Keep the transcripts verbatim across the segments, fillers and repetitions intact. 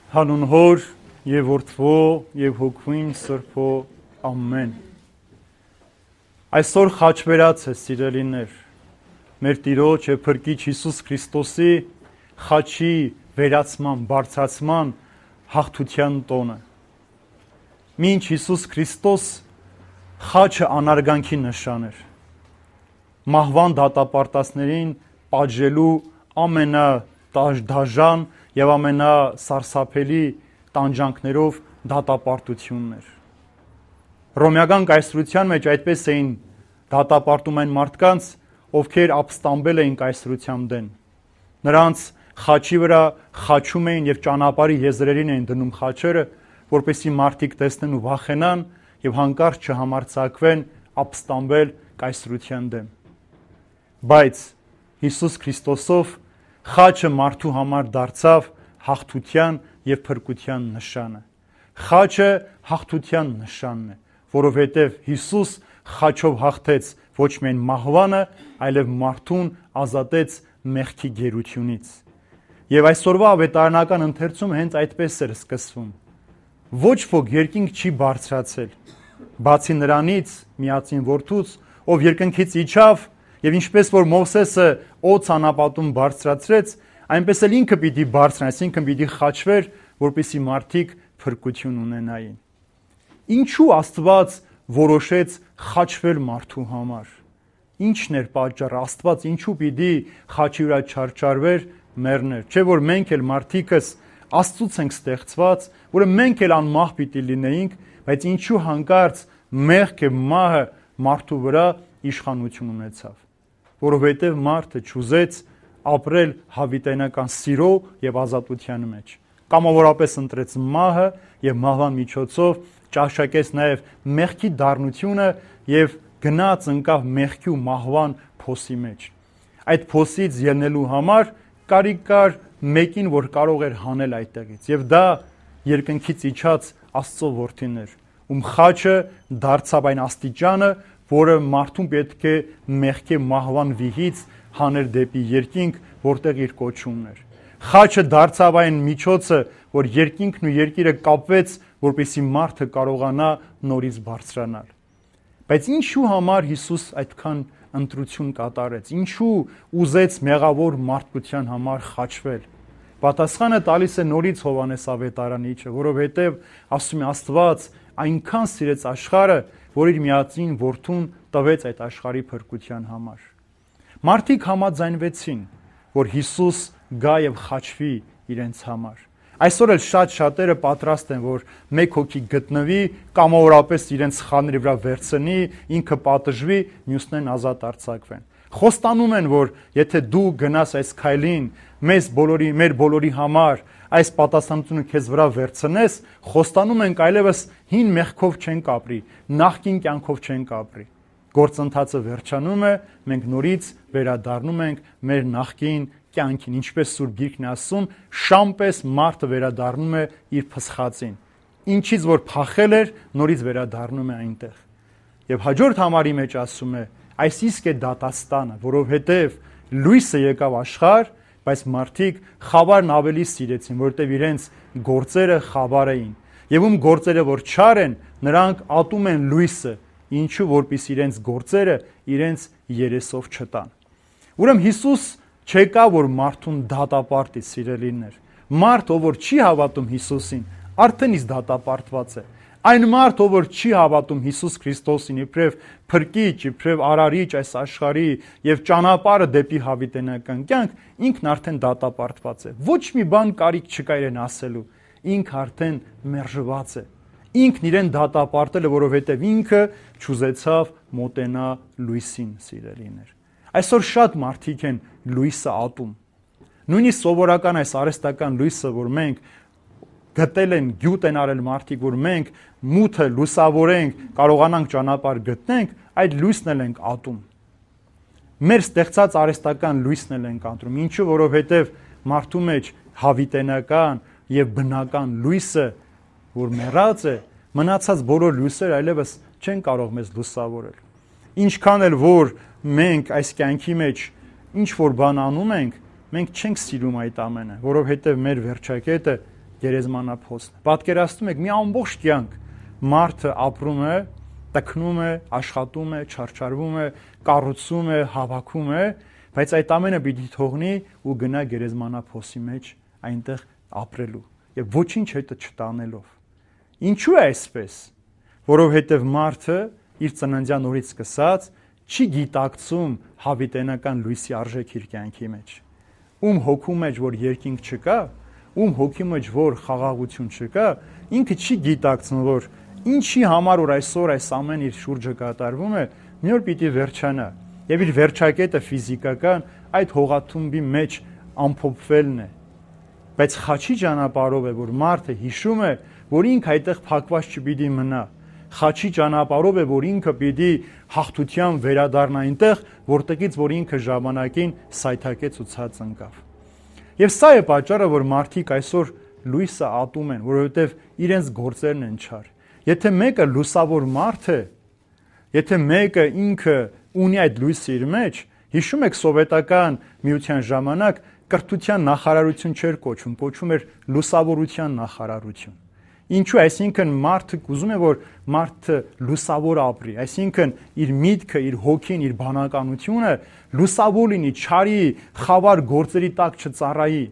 Հանուն Հոր եւ Որդվո եւ Հոգին Սրբո ամեն։ Այսօր խաչվերած է, սիրելիներ, մեր Տիրոջ եւ Փրկիչ Հիսուս Քրիստոսի խաչի վերացման, բարձրացման հաղթության տոնը։ Մինչ Հիսուս Քրիստոս խաչը անարգանքի նշան էր, մահվան դատապարտածներին պատժելու ամենադաժան եւ ամենասարսափելի տանջանքներով դատապարտությունն էր։ Հռոմեական կայսրության մեջ այդպես էին դատապարտում այն մարդկանց, ովքեր ապստամբել էին կայսրության դեն։ Նրանց խաչի վրա խաչում էին եւ ճանապարհի եզրերին էին դնում խաչերը, որպեսզի մարդիկ տեսնեն ու վախենան եւ հանկարծ չհամարձակվեն ապստամբել կայսրության դեմ։ Բայց Հիսուս Քրիստոսով խաչը մարդու համար դարձավ հաղթության եւ փրկության նշանը։ Խաչը հաղթության նշանն է, որովհետեւ Հիսուս խաչով հաղթեց ոչ միայն մահվանը, այլև մարդուն ազատեց մեղքի գերությունից։ Եվ այսօրվա ավետարանական ընթերցումը հենց այդպես էր սկսվում։ Ոչ ոք երկինք չի բարձրացել, բացի նրանից, միածին որդուց, ով երկնքից իջավ, եւ ինչպես որ Մովսեսը օձ անապատում բարձրացրեց, այնպես էլ ինքը պիտի բարձրանա, այսինքն պիտի խաչվեր, որպեսզի մարդիկ փրկություն ունենային։ Ինչու Աստված որոշեց խաչվել մարդու համար։ Ինչն էր պատճառը, Աստված ինչու պիտի խաչի վրա չարչարվեր, մեռներ։ Չէ՞ որ մենք էլ մարդիկս Աստծուց ենք ստեղծված, որը մենք էլ անմահ պիտի լինեինք, բայց ինչու հանկարծ մեղքը, մահը մարդու վրա իշխանություն ունեցավ։ Որովհետև մարդը չուզեց ապրել հավիտենական սիրո եւ ազատության մեջ։ Կամավորապես ընտրեց մահը եւ մահվան միջոցով ճաշակեց նաեւ մեղքի դառնությունը եւ գնաց ընկավ մեղքի ու մահվան փոսի մեջ։ Այդ փոսից ելնելու համար կարիք կար մեկին, որ կարող էր հանել այդտեղից, եւ դա երկնքից իջած Աստծո որդին էր, ում խաչը դարձավ այն աստիճանը, որը մարդուն պետք է մեղքի մահվան վիհից հաներ դեպի երկինք, որտեղ իր կոչումն էր։ Խաչը դարձավ այն միջոցը, որ երկինքն ու երկիրը կապվեց, որպեսզի մարդը կարողանա նորից բարձրանալ։ Բայց ինչու համար Հիսուս այդքան ընտրություն կատարեց։ Ինչու ուզեց մեղավոր մարդկության համար խաչվել։ Պատասխանը տալիս է նորից Հովհաննես ավետարանիչը, որովհետև ասում է Աստված այնքան սիրեց աշխարհը, որ իր միածին որդուն տվեց այդ աշխարհի փրկության համար։ Մարդիկ համաձայնվեցին, որ Հիսուս գա եւ խաչվի իրենց համար։ Այսօր էլ շատ շատերը պատրաստ են, որ մեկ հոգի գտնվի, կամավորապես իրենց սխալների վրա վերցնի, ինքը պատժվի, մյուսներն ազատ արձակվեն։ Խոստանում են, որ եթե դու գնաս այս քայլին, մեզ բոլորի, մեր բոլորի համար այս պատասխանատվությունը քեզ վրա վերցնես, խոստանում ենք այլևս հին մեղքով չենք ապրի, նախկին կյանքով չենք ապրի։ Գործընթացը վերջանում է, մենք նորից վերադառնում ենք մեր նախկին կյանքին, ինչպես Սուրբ Գիրքն է ասում, շամպես մարդը վերադառնում է իր փսխածին։ Ինչից որ փախել էր, նորից վերադառնում է այնտեղ։ Եվ հաջորդ համարի մեջ ասում է, այս իսկ է դատաստանը, որովհետև լույսը եկավ աշխարհ, բայց մարդիկ խավարն ավելի սիրեցին, որտեղ իրենց գործերը խավար էին։ Եվ ում գործերը որ չար են, նրանք ատում են լույսը, ինչու որպեսզի իրենց գործերը իրենց երեսով չտան։ Ուրեմն Հիսուս չեկա որ մարդուն դատապարտի, սիրելիներ։ Մարդ, ով որ չի հավատում Հիսուսին, արդեն իսկ դատապարտված է։ Այն մարդ, ով որ չի հավատում Հիսուս Քրիստոսին իբրև փրկիչ, իբրև արարիչ այս աշխարհի եւ ճանապարհը դեպի հավիտենական կյանք, ինքն արդեն դատապարտված է։ Ոչ մի բան կարիք չկա իրեն ասելու։ Ինքը արդեն մերժված է։ Ինքն իրեն դատապարտել է, որովհետև ինքը չուզեցավ մոտենա լույսին, սիրելիներ։ Այսօր շատ մարդիկ են լույսը ատում։ Նույնիսկ սովորական այս արհեստական լույսը, որ մենք գտել են, գյուտ են արել մարդիկ, որ մենք մութը լուսավորենք, կարողանանք ճանապարհ գտնենք, այդ լույսն էլ ենք ատում։ Մեր ստեղծած արհեստական լույսն էլ ենք ատում։ Ինչու, որովհետև մարդու մեջ հավիտենական եւ բնական լույսը, որ մեռած է, մնացած բոլոր լույսերը այլևս չեն կարող մեզ լուսավորել։ Ինչքան էլ որ մենք այս կյանքի մեջ ինչ որ բան անում ենք, մենք չենք սիրում այդ ամենը, որովհետև մեր վերջակետը գերեզմանափոսն է։ Պատկերացնում եք, մի ամբողջ կյանք մարդը ապրում է, տքնում է, աշխատում է, չարչարվում է, կառուցում է, հավաքում է, բայց այդ ամենը պիտի թողնի ու գնա գերեզմանափոսի մեջ այնտեղ ապրելու եւ ոչինչ հետը չտանելով։ Ինչու է այսպես? Որովհետեւ մարդը իր ծննդյան օրից սկսած չի գիտակցում հավիտենական լույսի արժեքը իր կյանքի մեջ։ Ում հոգու մեջ որ երկինք չկա, ում հոգի մեջ որ խաղաղություն չկա, ինքը չի գիտակցում, որ ինչի համար որ այսօր այս ամեն իր շուրջը կատարվում է, մի օր պիտի վերջանա։ Եվ իր վերջակետը ֆիզիկական այդ հողաթումբի մեջ ամփոփվելն է։ Բայց խաչի ճանապարհով է, որ մարդը հիշում է, որ ինքը այդտեղ փակված չպիտի մնա։ Խաչի ճանապարհով է, որ ինքը պիտի հաղթության վերադառնա այնտեղ, որտեղից որ ինքը ժամանակին սայթակեց ու ցած ընկավ։ Եվ սա է պատճառը, որ մարդիկ այսօր լույսը ատում են, որովհետև իրենց գործերն են չար։ Եթե մեկը լուսավոր մարդ է, եթե մեկը ինքը ունի այդ լույսը իր մեջ, հիշում եք սովետական միության ժամանակ կրթության նախարարություն չէր կոչվում, կոչվում էր լուսավորության նախարարություն։ Ինչու, այսինքն մարդը ուզում է, որ մարդը լուսավոր ապրի, այսինքն իր միտքը, իր հոգին, իր բանականությունը լուսավոր լինի, չարի, խավար գործերի տակ չծառայի։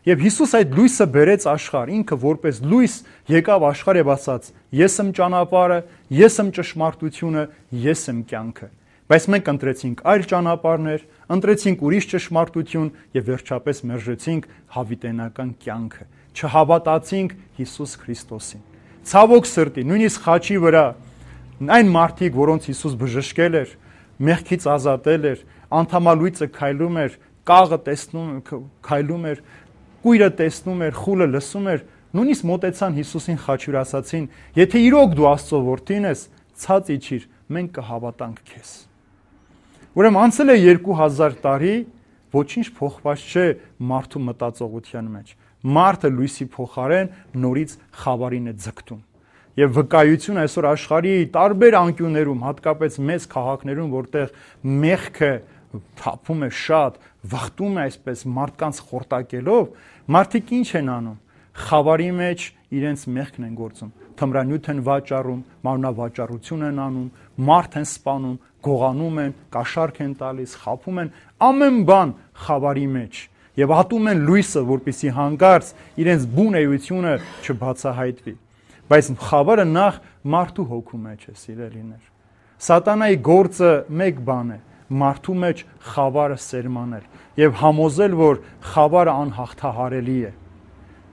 Եվ Հիսուս այդ լույսը բերեց աշխարհ, ինքը որպես լույս եկավ աշխարհ եւ ասաց. Ես եմ ճանապարհը, ես եմ ճշմարտությունը, ես եմ կյանքը։ Բայց մենք ընտրեցինք այլ ճանապարհներ, ընտրեցինք ուրիշ ճշմարտություն եւ վերջապես մերժեցինք հավիտենական կյանքը։ Չհավատացինք Հիսուս Քրիստոսին։ Ցավոք սրտի, նույնիսկ խաչի վրա այն մարդիկ, որոնց Հիսուս բժշկել էր, մեղքից ազատել էր, անդամալույծը քայլում էր, կաղը տեսնում քայլում էր, կույրը տեսնում էր, խուլը լսում էր, նույնիսկ մոտեցան Հիսուսին խաչի վրա ասացին. Եթե իրոք դու Աստծո որդին ես, ցած իջիր, մենք կհավատանք քեզ։ Ուրեմն անցել է երկու հազար տարի, ոչինչ փոխված չէ մարդու մտածողության մեջ։ Մարդը լույսի փոխարեն նորից խավարին է ձգտում։ Եվ վկայություն այսօր աշխարհի տարբեր անկյուններում, հատկապես մեծ քաղաքներում, որտեղ մեղքը թափում է շատ, վախտում է այսպես մարդկանց խորտակելով, մարդիկ ինչ են անում։ Խավարի մեջ իրենց մեղքն են գործում, թմրանյութ են վաճառում, մարմնավաճառություն են անում, մարդ են սպանում, գողանում են, կաշառք են տալիս, խաբում են, ամեն բան խավարի մեջ եւ ատում են լույսը, որպեսզի հանկարծ իրենց բուն էությունը չբացահայտվի։ Բայց խավարը նախ մարդու հոգու մեջ է, սիրելիներ։ Սատանայի գործը մեկ բան է՝ մարդու մեջ խավարը սերմանել եւ համոզել, որ խավարը անհաղթահարելի է։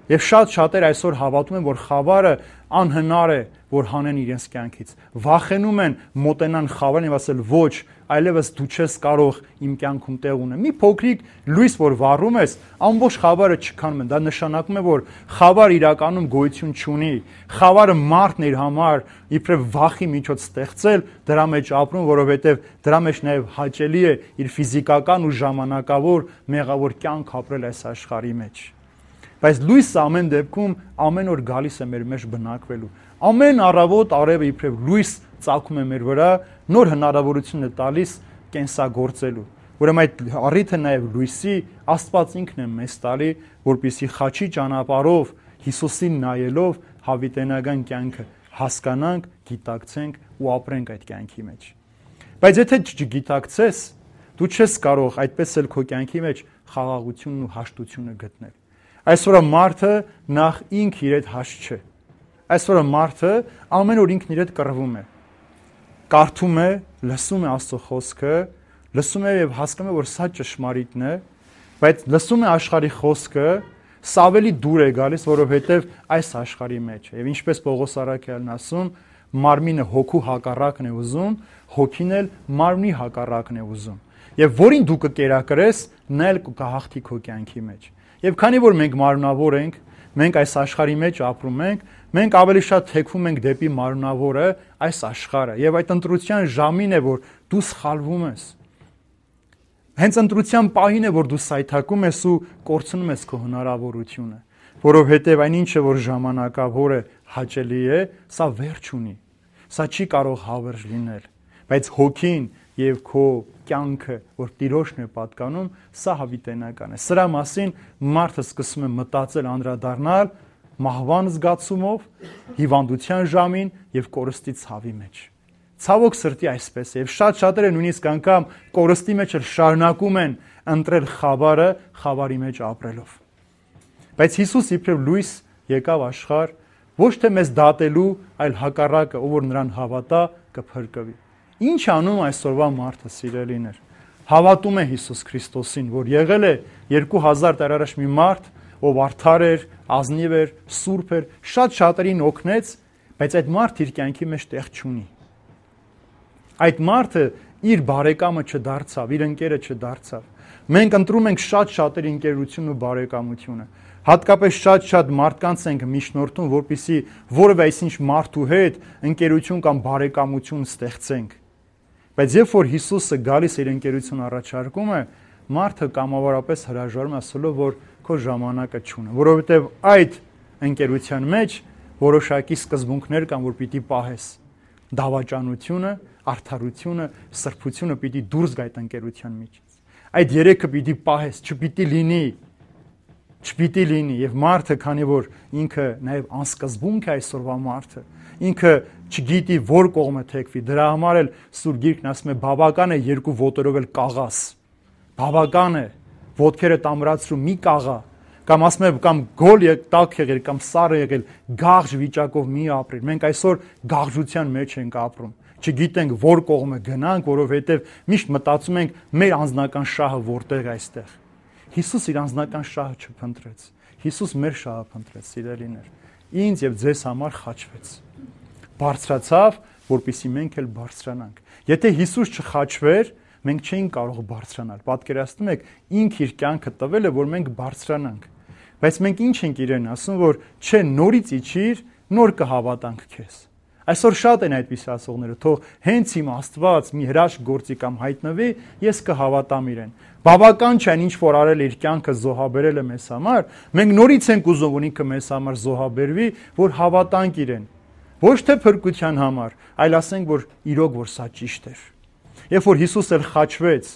Եվ շատ շատեր այսօր հավատում են, որ խավարը անհնար է, որ հանեն իրենց կյանքից։ Վախենում են մոտենան խավարին եւ ասել ոչ, այլևս դու չես կարող իմ կյանքում տեղ ունենալ։ Մի փոքրիկ լույս, որ վառում ես, ամբողջ խավարը չքանում է։ Դա նշանակում է, որ խավարը իրականում գոյություն չունի։ Խավարը մարդն իր համար իբրև վախի միջոց ստեղծել, դրա մեջ ապրում, որովհետեւ դրա մեջ նաեւ հաճելի է իր ֆիզիկական ու ժամանակավոր մեղավոր կյանք ապրել այս աշխարհի մեջ։ Բայց լույսը ամեն դեպքում ամեն օր գալիս է մեր մեջ բնակվելու։ Ամեն առավոտ արևը իբրև լույս ծագում է մեր վրա, նոր հնարավորություն է տալիս կենսագործելու։ Ուրեմն այդ առիթը նաև լույսի Աստված ինքն է մեզ տալի, որպեսզի խաչի ճանապարհով Հիսուսին նայելով հավիտենական կյանքը հասկանանք, գիտակցենք ու ապրենք այդ կյանքի մեջ։ Բայց եթե չգիտակցես, դու չես կարող այդպես էլ քո կյանքի մեջ խաղաղությունն ու հաշտությունը գտնել։ Այսօր մարդը նախ ինք իր հետ հաշտ չէ։ Այսօր մարդը ամեն օր ինքն իր հետ կռվում է։ Կարդում է, լսում է Աստծո խոսքը, լսում է եւ հասկանում է, որ սա ճշմարիտն է, բայց լսում է աշխարհի խոսքը, սա ավելի դուր է գալիս, որովհետեւ այս աշխարհի մեջ է։ Եվ ինչպես Պողոս առաքյալն ասում, մարմինը հոգու հակառակն է ուզում, հոգին էլ մարմնի հակառակն է ուզում։ Եվ որին դու կկերակրես, նա էլ կհաղթի քո կյանքի մեջ։ Եվ քանի որ մենք մարմնավոր ենք, մենք այս աշխարհի մեջ ապրում ենք, մենք ավելի շատ թեքվում ենք դեպի մարմնավորը, այս աշխարհը, եւ այդ ընտրության ժամին է, որ դու սխալվում ես։ Հենց ընտրության պահին է, որ դու սայթակում ես ու կորցնում ես քո հնարավորությունը, որովհետեւ այն ինչը որ ժամանակավոր է, հաճելի է, սա վերջ ունի։ Սա չի կարող հավերժ լինել, բայց հոգին եւ քո կյանքը, որ Տիրոջն է պատկանում, սա հավիտենական է։ Սրա մասին մարդը սկսում է մտածել, անդրադառնալ մահվան զգացումով, հիվանդության ժամին եւ կորստի ցավի մեջ։ Ցավոք սրտի այսպես է, եւ շատ շատերը նույնիսկ անգամ կորստի մեջ էլ շարունակում են ընտրել խավարը, խավարի մեջ ապրելով։ Բայց Հիսուս իբրև լույս եկավ աշխարհ, ոչ թե մեզ դատելու, այլ հակառակը, ով որ նրան հավատա, կփրկվի։ Ինչ անում այսօրվա մարդը, սիրելիներ։ Հավատում է Հիսուս Քրիստոսին, որ եղել է երկու հազար տարի առաջ մի մարդ, ով արդար էր, ազնիվ էր, սուրբ էր, շատ շատերին օգնեց, բայց այդ մարդը իր կյանքի մեջ տեղ չունի։ Այդ մարդը իր բարեկամը չդարձավ, իր ընկերը չդարձավ։ Մենք ընտրում ենք շատ շատերի ընկերությունն ու բարեկամությունը։ Հատկապես շատ-շատ մարդկանց ենք միջնորդում, որպեսզի որևէ այսինչ մարդու հետ ընկերություն կամ բարեկամություն ստեղծենք։ Բայց երբ որ Հիսուսը գալիս իր ընկերություն առաջարկում է, մարդը կամավորապես հրաժարվում է, ասելով, որ քո ժամանակը չունի, որովհետև այդ ընկերության մեջ որոշակի սկզբունքներ կան, որ պիտի պահես։ Դավաճանությունը, արդարությունը, սրբությունը պիտի դուրս գա այդ ընկերության միջից։ Այդ երեքը պիտի պահես, չպիտի լինի Չպիտի լինի եւ մարդը, քանի որ ինքը նաեւ անսկզբունք է այսօրվա մարդը, ինքը չգիտի որ կողմը թեքվի, դրա համար էլ Սուրբ Գիրքն ասում է բավական է երկու ոտերով էլ կաղաս, բավական է ոտքերը տամրացրու մի կաղա, կամ ասում է կամ գոլ եք տակ եղել կամ սառը եղել, գաղժ վիճակով մի ապրել։ Մենք այսօր գաղժության մեջ ենք ապրում, չգիտենք որ կողմը գնանք, որովհետեւ միշտ մտածում ենք մեր անձնական շահը որտեղ է այստեղ։ Հիսուս իր անձնական շահը չփնտրեց։ Հիսուս մեր շահը փնտրեց, սիրելիներ։ Ինձ եւ ձեզ համար խաչվեց։ Բարձրացավ, որպեսզի մենք էլ բարձրանանք։ Եթե Հիսուս չխաչվեր, մենք չէինք կարող բարձրանալ։ Պատկերացնում եք, ինքը իր կյանքը տվել է, որ մենք բարձրանանք։ Բայց մենք ինչ ենք իրեն ասում, որ չէ, նորից իջիր, նոր կհավատանք քեզ։ Այսօր շատ են այդպիսի ասողները, թող հենց իմ Աստված մի հրաշք գործի կամ հայտնվի, ես կհավատամ իրեն։ Բավական չէ ինչ որ արել իր կյանքը զոհաբերել է մեզ համար, մենք նորից ենք ուզում, որ ինքը մեզ համար զոհաբերվի, որ հավատանք իրեն։ Ոչ թե փրկության համար, այլ ասենք, որ իրոք որ սա ճիշտ էր։ Երբ որ Հիսուս էլ խաչվեց,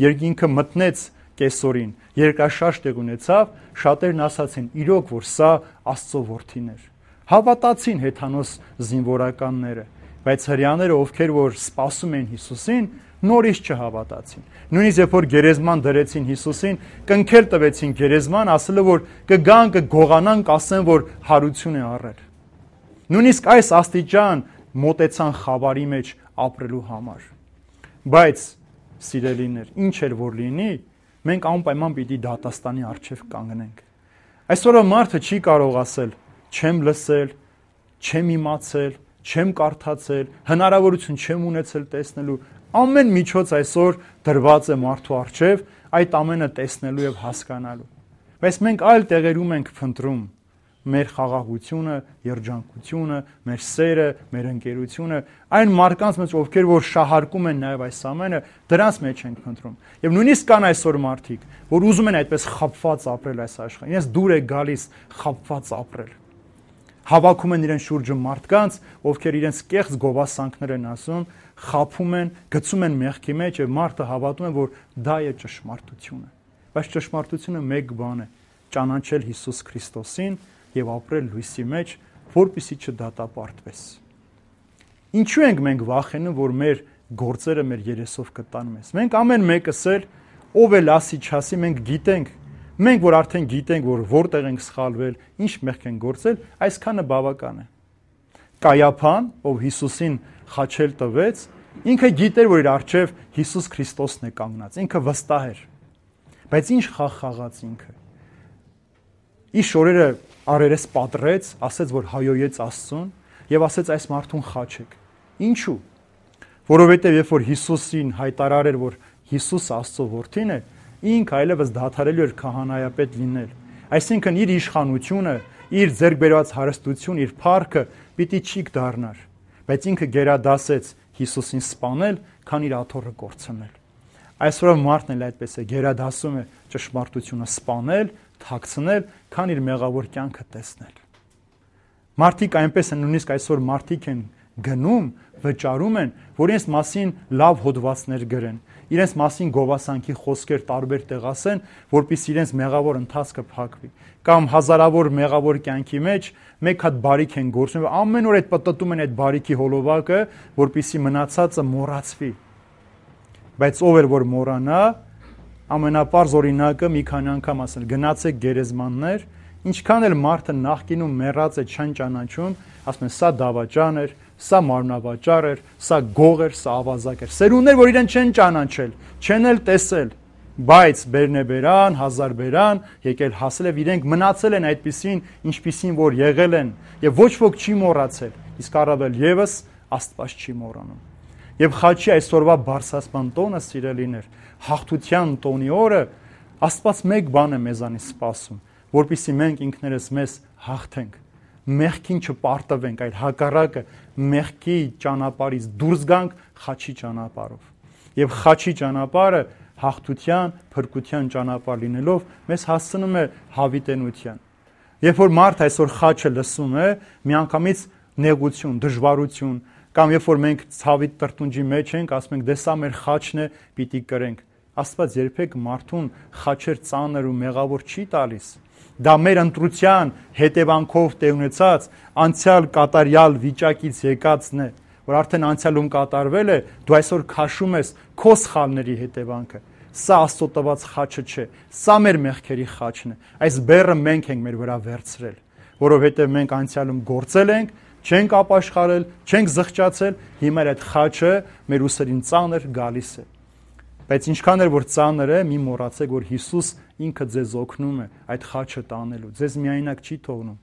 երկինքը մտնեց կեսօրին, երկրաշարժ տեղ ունեցավ, շատերն ասացին, իրոք որ սա Աստծո որդին էր։ Հավատացին հեթանոս զինվորականները, բայց հրեաները, ովքեր որ սպասում էին Հիսուսին, նորից չհավատացին։ Նույնիսկ երբ որ գերեզման դրեցին Հիսուսին, կնքել տվեցին գերեզման, ասելով որ կգան, կգողանան, կասեն, որ հարություն է առել։ Նույնիսկ այս աստիճան մոտեցան խավարի մեջ ապրելու համար։ Բայց սիրելիներ, ինչ էր որ լինի, մենք անպայման պիտի դատաստանի առջև կանգնենք։ Այսօրը մարդը չի կարող ասել չեմ լսել, չեմ իմացել, չեմ կարդացել, հնարավորություն չեմ ունեցել տեսնելու, ամեն միջոց այսօր դրված է մարդու առջև այդ ամենը տեսնելու եւ հասկանալու։ Բայց մենք այլ տեղերում ենք փնտրում մեր խաղաղությունը, երջանկությունը, մեր սերը, մեր ընկերությունը, այն մարդկանց մեջ, ովքեր որ շահարկում են նաեւ այս ամենը, դրանց մեջ ենք փնտրում։ Եվ նույնիսկ կան այսօր մարդիկ, որ ուզում են այդպես խաբված ապրել այս աշխարհին։ Իրենց դուր է գալիս խաբված ապրել։ Հավաքում են իրեն շուրջը մարդկանց, ովքեր իրենց կեղծ գովասանքներ են ասում, խաբում են, գցում են մեղքի մեջ եւ մարդը հավատում է, որ դա է ճշմարտությունը։ Բայց ճշմարտությունը մեկ բան է՝ ճանաչել Հիսուս Քրիստոսին եւ ապրել լույսի մեջ, որպեսզի չդատապարտվես։ Ինչու ենք մենք վախենում, որ մեր գործերը մեր երեսով կտան մեզ։ Մենք ամեն մեկս էլ ով էլ ասի չասի, մենք գիտենք, մենք որ արդեն գիտենք, որ որտեղ ենք սխալվել, ինչ մեղք ենք գործել, այսքանը բավական է։ Կայափան, ով Հիսուսին խաչել տվեց, ինքը գիտեր, որ իր առջև Հիսուս Քրիստոսն է կանգնած, ինքը վստահ էր։ Բայց ինչ խաղ խաղաց ինքը։ Իր շորերը արերես պատռեց, ասեց, որ հայոյեց Աստծուն եւ ասեց այս մարդուն խաչեք։ Ինչու՞։ Որովհետեւ երբ որ Հիսուսին հայտարարեր, որ Հիսուսը Աստծո որդին է, ինքը այլևս դադարելու էր քահանայապետ լինել։ Այսինքն իր իշխանությունը, իր ձեռք բերված հարստություն, իր փառքը պիտի չիկ դառնար, բայց ինքը գերադասեց Հիսուսին սպանել, քան իր աթոռը կորցնել։ Այսօր մարդն էլ այդպես է, գերադասում է ճշմարտությունը սպանել, թաքցնել, քան իր մեղավոր կյանքը տեսնել։ Մարդիկ այնպես են, նույնիսկ այսօր մարդիկ են գնում, վճարում են, որ իրենց մասին լավ հոդվածներ գրեն, իրենց մասին գովասանքի խոսքեր տարբեր տեղ ասեն, որպեսզի իրենց մեղավոր ընթացքը փակվի։ Կամ հազարավոր մեղավոր կյանքի մեջ մեկ հատ բարիք են գործում, ամեն օր այդ պտտում են այդ բարիքի հոլովակը, որպեսզի մնացածը մոռացվի։ Բայց ով էր որ մոռանա, ամենապարզ օրինակը մի քանի անգամ ասել, գնացեք գերեզմաններ, ինչքան էլ մարդը նախկինում մեռած է չեն ճանաչում, ասում են սա դավաճան էր, սա մարմնավաճառ էր, սա գող էր, սա ավազակ էր։ Սերունդներ, որ իրեն չեն ճանաչել, չեն էլ տեսել, բայց բերնեբերան, հազար բերան, եկել հասել եւ իրենք մնացել են այդպիսին, ինչպիսին որ եղել են, եւ ոչ ոք չի մոռացել, իսկ առավել եւս Աստված չի մոռանում։ Եվ խաչի այսօրվա բարձրացման տոնը, սիրելիներ, հաղթության տոնի օրը Աստված մեկ բան է մեզանից սպասում, որպեսզի մենք ինքներս մեզ հաղթենք, մեղքին չպարտվենք, այլ հակառակը մեղքի ճանապարհից դուրս գանք խաչի ճանապարհով։ Եվ խաչի ճանապարհը հաղթության, փրկության ճանապարհ լինելով մեզ հասցնում է հավիտենության։ Երբ որ մարդ այսօր խաչը լսում է, միանգամից նեղություն, դժվարություն, կամ երբ որ մենք ցավի տրտունջի մեջ ենք, ասում ենք դե սա մեր խաչն է, պիտի կրենք։ Աստված երբեք մարդուն խաչեր ծանր ու մեղավոր չի տալիս։ Դա մեր ընտրության հետևանքով տեղ ունեցած անցյալ կատարյալ վիճակից եկածն է, որ արդեն անցյալում կատարվել է, դու այսօր քաշում ես քո սխալների հետևանքը։ Սա Աստծո տված խաչը չէ, սա մեր մեղքերի խաչն է։ Այս բեռը մենք ենք մեր վրա վերցրել, որովհետև մենք անցյալում գործել ենք, չենք ապաշխարել, չենք զղջացել, հիմա այդ խաչը մեր ուսերին ծանր գալիս է։ Բայց ինչքան էլ որ ծանր է, մի մոռացեք, որ Հիսուս ինքը ձեզ օգնում է այդ խաչը տանելու, ձեզ միայնակ չի թողնում։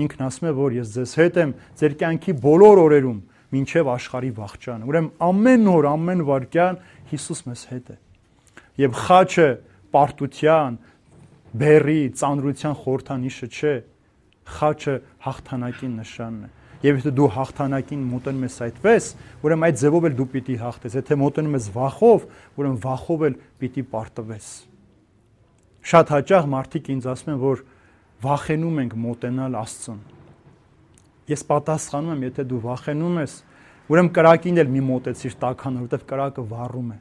Ինքն ասում է, որ ես ձեզ հետ եմ ձեր կյանքի բոլոր օրերում, մինչև աշխարհի վախճանը։ Ուրեմն ամեն օր, ամեն վայրկյան Հիսուս մեզ հետ է։ Եվ խաչը պարտության, բեռի, ծանրության խորհրդանիշը չէ, խաչը հաղթանակի նշանն է։ Եվ եթե դու հաղթանակին մոտենում ես այդպես, ուրեմն այդ ձևով էլ դու պիտի հաղթես։ Եթե մոտենում ես վախով, ուրեմն վախով էլ պիտի պարտվես։ Շատ հաճախ մարդիկ ինձ ասում են, որ վախենում ենք մոտենալ Աստծուն։ Ես պատասխանում եմ, եթե դու վախենում ես, ուրեմն կրակին էլ մի մոտեցիր տաքանալ, որովհետև կրակը վառում է։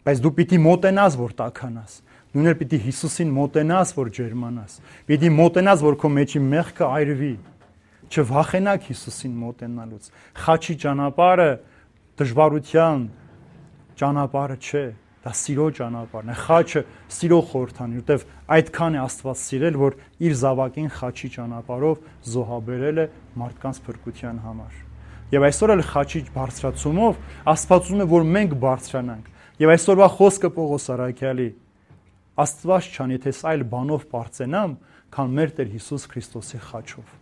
Բայց դու պիտի մոտենաս, որ տաքանաս։ Նույնը պիտի Հիսուսին մոտենաս, որ ջերմանաս։ Պիտի մոտենաս, որ քո մեջի մեղքը այրվի։ Չվախենաք Հիսուսին մոտենալուց։ Խաչի ճանապարհը դժվարության ճանապարհը չէ, դա սիրո ճանապարհն է։ Խաչը սիրո խորհրդանիշ, որտեվ այդքան է Աստված սիրել, որ իր զավակին խաչի ճանապարհով զոհաբերել է մարդկանց փրկության համար։ Եվ այսօր էլ խաչի բարձրացումով Աստված ուզում է, որ մենք բարձրանանք։ Եվ այսօրվա խոսքը Պողոս առաքյալի Աստված չան, եթե այլ բանով բարձենամ, քան մեր Տեր Հիսուս Քրիստոսի խաչով։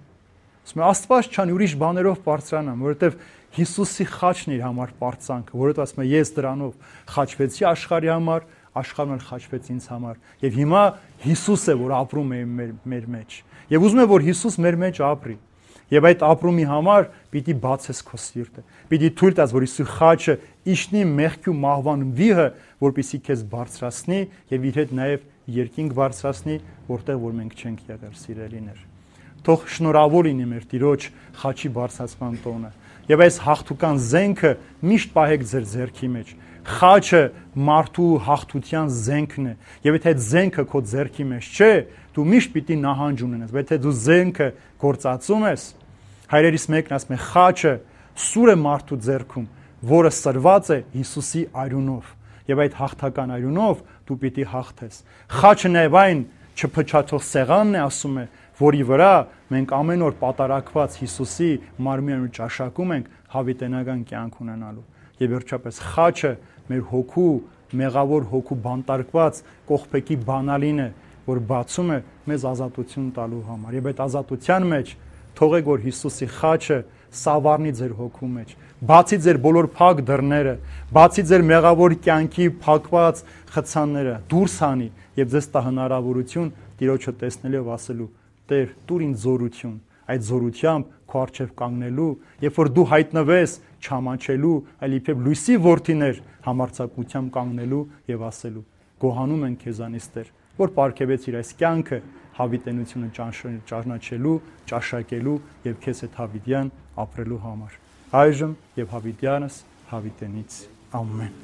Ասում է Աստված չան, ուրիշ բաներով բարձրանամ, որովհետև Հիսուսի խաչն իր համար բարձանքը, որովհետև ասում է ես դրանով խաչվեցի աշխարհի համար, աշխարհն էլ խաչվեց ինձ համար։ Եվ հիմա Հիսուս է, որ ապրում է մեր, մեր մեջ։ Եվ ուզում է, որ Հիսուս մեր մեջ ապրի։ Եվ այդ ապրումի համար պիտի բացես քո սիրտը։ Պիտի թույլ տաս, որ Հիսուսի խաչը իջնի մեղքի ու մահվան վիհը, որպեսզի քեզ բարձրացնի եւ իր հետ նաեւ երկինք բարձրացնի, որտեղ որ մենք չենք եղել, սիրելիներ։ Թող շնորհավոր լինի մեր Տիրոջ խաչի բարձրացման տոնը։ Եվ այս հաղթուկան զենքը միշտ պահեք ձեր ձեռքի մեջ։ Խաչը մարդու հաղթության զենքն է։ Եվ եթե այդ զենքը քո ձեռքի մեջ չէ, դու միշտ պիտի նահանջ ունենաս։ Բայց եթե դու զենքը գործածում ես, հայրերիս մեկն ասում է, խաչը սուր է մարդու ձեռքում, որը սրված է Հիսուսի արյունով։ Եվ այդ հաղթական արյունով դու պիտի հաղթես։ Խաչը նաև այն չփչացող սեղանն է, ասում է, որի վրա մենք ամեն օր պատարակված Հիսուսի մարմինն ու ճաշակում ենք հավիտենական կյանք ունենալու։ Եվ վերջապես խաչը մեր հոգու, մեղավոր հոգու բանտարկված կողպեքի բանալին է, որ բացում է մեզ ազատություն տալու համար։ Եվ այդ ազատության մեջ թողեք, որ Հիսուսի խաչը սավառնի ձեր հոգու մեջ, բացի ձեր բոլոր փակ դռները, բացի ձեր մեղավոր կյանքի փակված խցանները, դուրս հանի եւ ձեզ տա հնարավորություն Տիրոջը տեսնելով ասելու. Տեր, տուր ինձ զորություն, այդ զորությամբ քո առջև կանգնելու, երբ որ դու հայտնվես չամաչելու, այլ իբրև լույսի որդիներ համարձակությամբ կանգնելու եւ ասելու. Գոհանում են քեզանից Տեր, որ պարգևեցիր այս կյանքը հավիտենությունը ճանաչելու, ճաշակելու եւ քեզ հետ հավիտյան ապրելու համար։ Այժմ եւ հավիտյանս հավիտենից։ Ամեն։